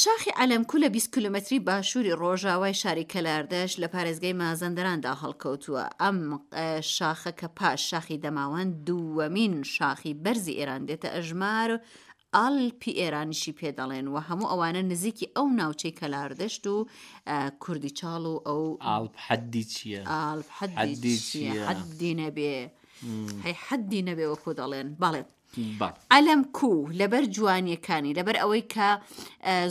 شاخی عەلەمکو لە 20 کیلۆمەتری باشووری ڕۆژاوای شاری کەلاردەشت لە پارێزگای مازەندەراندا هەڵکەوتووە. ئەم شاخە کە پاش شاخی دەماوەند دووەمین شاخی بەرزی ئێران دێتە ئەژمار، ئالپی ئێرانیشی پێ دەڵێن و هەموو ئەوانە نزیکی ئەو ناوچەی کەلاردەشت و کوردیچاڵ و ئەو ئالپ حەدی چییە؟ ئالپ حەدی چییە؟ حەدی نەبێ هەی حەدی نەبێ وەکو دەڵێن بەڵێ. عەلەم کو لەبەر جوانیەکانی لەبەر ئەوەی کە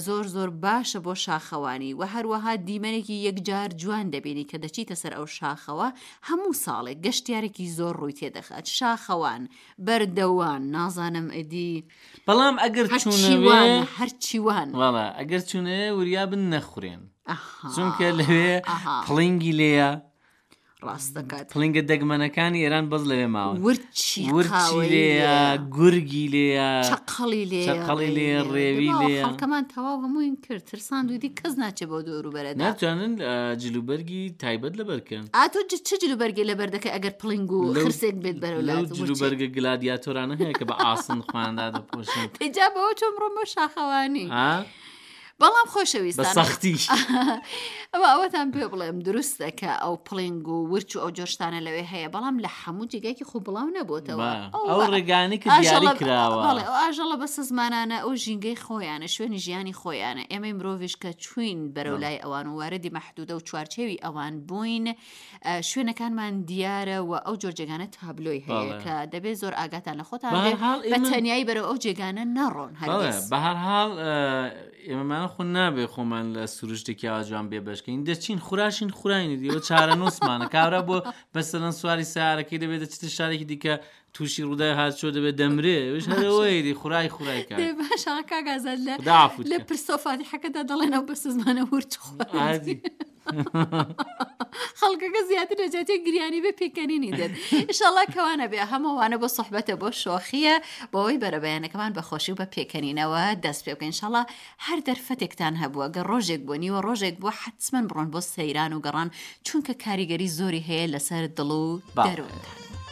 زۆر زۆر باشە بۆ شاخەوانی و هەروەها دیمەنێکی یەکجار جوان دەبینی کە دەچیتە سەر ئەو شاخەوە هەموو ساڵێک گەشتیارێکی زۆر ڕووی تێدەخات شاخەوان بەردەوان نازانم ئەدی بەڵام ئەگەر چوونەوێ هەرچیوان وەڵا ئەگەر چوونەوێ وریا بن نەخورێن چونکە لەوێ پڵینگی لێیە ڕاست دەکات. پڵینگە دەگمەنەکانی ئێران بەس لەوێ ماون. ورچی ورچی قاوەیی لێیە، لێیە. گورگی لێیە، چەقەڵی لێیە، چەقەڵی ڕێوی لێیە، لێیە. ڕێوی دەباوە لێیە. خەڵکەمان تەواو هەمووین کرد ترساند و دی کەس ناچێ بەو دەوروبەرەدا. ناتوانن جلوبەرگی تایبەت لەبەر کەن. ئا تۆ چ جلوبەرگێ لەبەر دەکەی ئەگەر پڵینگ و لەو خرسێک بێت بەرەو لەو لات ورچێک. جلوبەرگە گلادیاتۆرانە هەیە کە بە ئاسن خۆیان دادەپۆشن. دەی جا بەوە چۆن بڕۆم بۆ شاخەوانی. ئا؟ بەڵام بە خۆشەویستان سەختی. ئەوە ئەوەتان پێ بڵێم دروستە کە ئەو پڵینگ و ورچ و ئەو جۆر شتانە لەوێ هەیە بەڵام لە هەموو جێگایەکی خۆ بڵاو نەبۆتەوە با، ئەو ئەو ڕێگانەی کە دیاری ئاژەڵە کراوە. بەڵێ ئەو ئاژەڵە بەسەزمانانە ئەو ژینگەی خۆیانە شوێنی ژیانی خۆیانە ئێمەی مرۆڤیش کە چوین بەرەو بەڵێ. لای ئەوان و واردی مەحدودە و چوارچێوی ئەوان بووین شوێنەکانمان دیارە و ئەو جۆر جێگانە تابلۆی هەیە بەڵێ. کە دەبێت زۆر ئاگاتان لە خۆتان بە بێ هەر حاڵ بە ئێمە تەنیایی بەرەو ئەو جێگانە نەڕۆن بەڵێ هەرگیز. بە هەر حاڵ ئێمەمانە خۆ نابێ خۆمان لە سروشتێکی ئاوا جوان بێبەش کەین دەچین خوراشین خوراینی دیوە چارەنووسمانە کابرا بۆ مەسەلەن سواری سەیارەکەی دەبێت دەچێتە شارێکی دیکە تووشی ڕووداوی هاتوچۆ دەبێت دەمرێ ئەویش هەر ئەوەیە دی خورای خورای کاک دێ باشە کاک ئازاد لە خودا عەفوت لە کە. پرسە و فاتیحەکەدا دەڵێن ئەو بەسەزمانە ورچ خواردی. ئادی. خەڵکەکە زیاتر لە جیاتی گریانی بێ پێکەنینی دێت ئیشەڵا کەوانە بێ هەمووانە بۆ سوحبەتە بۆ شۆخییە بۆ ئەوەی بەرەبەیانەکەمان بە خۆشی و بە پێکەنینەوە دەست پێ بکەین ئیشەڵا هەر دەرفەتێکتان هەبووە گەر ڕۆژێک بووە نیوە ڕۆژێک بووە حەتمەن بڕۆن بۆ سەیران و گەڕان چونکە کاریگەری زۆری هەیە لەسەر دڵ و بەڵێ. دەروونتان.